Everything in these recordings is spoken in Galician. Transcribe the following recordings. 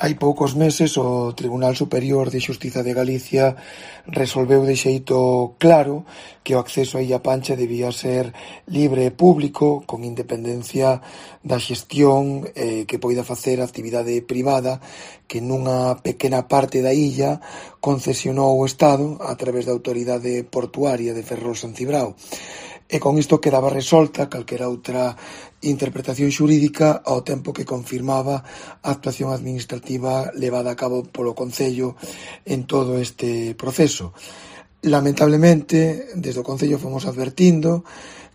Hai poucos meses o Tribunal Superior de Xustiza de Galicia resolveu de xeito claro que o acceso á Illa Pancha debía ser libre e público, con independencia da xestión que poida facer a actividade privada que nunha pequena parte da illa concesionou o Estado a través da Autoridade Portuaria de Ferrol-San Cibrao. E con isto quedaba resolta calquera outra interpretación xurídica ao tempo que confirmaba a actuación administrativa levada a cabo polo Concello en todo este proceso. Lamentablemente, desde o Concello fomos advertindo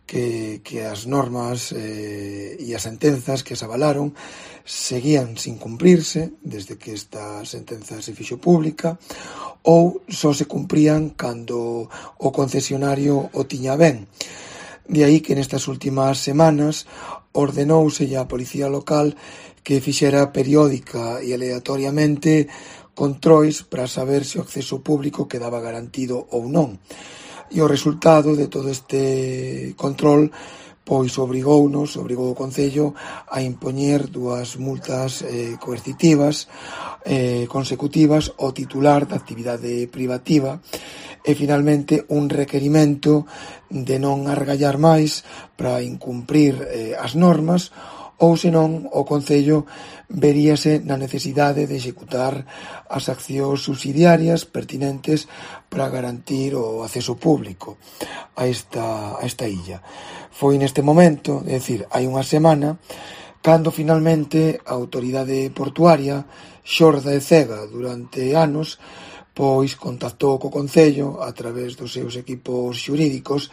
que as normas e as sentenzas que se avalaron seguían sin cumprirse desde que esta sentenza se fixo pública ou só se cumprían cando o concesionario o tiña ben. De aí que nestas últimas semanas ordenouse á Policía Local que fixera periódica e aleatoriamente controis para saber se o acceso público quedaba garantido ou non. E o resultado de todo este control pois obrigou o Concello a impoñer dúas multas coercitivas consecutivas ao titular da actividade privativa e finalmente un requerimento de non argallar máis para incumprir as normas ou senón o Concello veríase na necesidade de executar as accións subsidiarias pertinentes para garantir o acceso público a esta illa. Foi neste momento, é dicir, hai unha semana, cando finalmente a autoridade portuaria, xorda e cega durante anos, pois contactou co Concello a través dos seus equipos xurídicos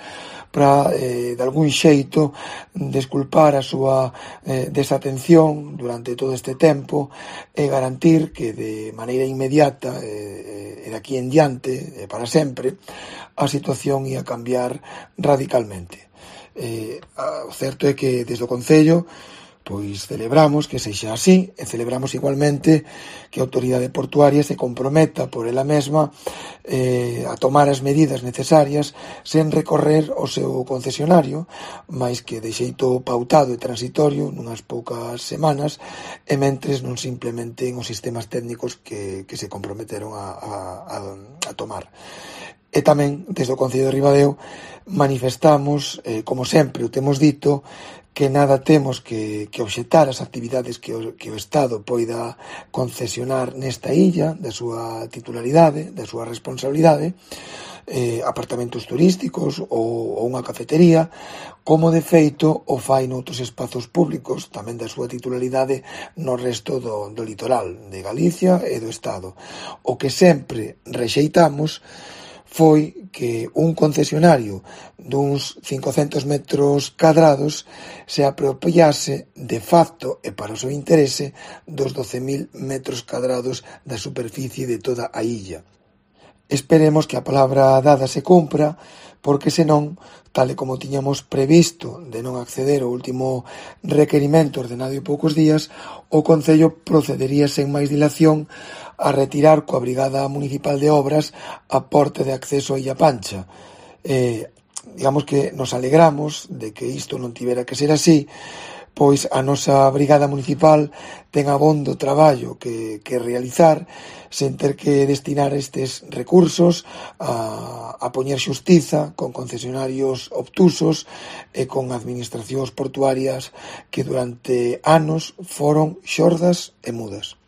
para, de algún xeito, desculpar a súa desatención durante todo este tempo e garantir que de maneira inmediata e de aquí en diante, para sempre, a situación ia cambiar radicalmente. O certo é que desde o Concello pois celebramos que sexa así e celebramos igualmente que a autoridade portuaria se comprometa por ela mesma a tomar as medidas necesarias sen recorrer ao seu concesionario, máis que de xeito pautado e transitorio nunhas poucas semanas e mentres non se implementen os sistemas técnicos que se comprometeron a tomar. E tamén, desde o Concello de Ribadeo, manifestamos, como sempre o temos dito, que nada temos que obxectar as actividades que o Estado poida concesionar nesta illa, da súa titularidade, da súa responsabilidade, apartamentos turísticos ou unha cafetería, como de feito o fai noutros espazos públicos, tamén da súa titularidade no resto do litoral de Galicia e do Estado. O que sempre rexeitamos foi que un concesionario duns 500 metros cadrados se apropiase de facto e para o seu interese dos 12.000 metros cadrados da superficie de toda a illa. Esperemos que a palabra dada se cumpra, porque senón, tal e como tiñamos previsto de non acceder ao último requerimento ordenado en poucos días, o Concello procedería sen máis dilación a retirar coa Brigada Municipal de Obras a porta de acceso á Illa Pancha. Digamos que nos alegramos de que isto non tivera que ser así, pois a nosa Brigada Municipal ten abondo traballo que realizar sen ter que destinar estes recursos a poñer xustiza con concesionarios obtusos e con administracións portuarias que durante anos foron xordas e mudas.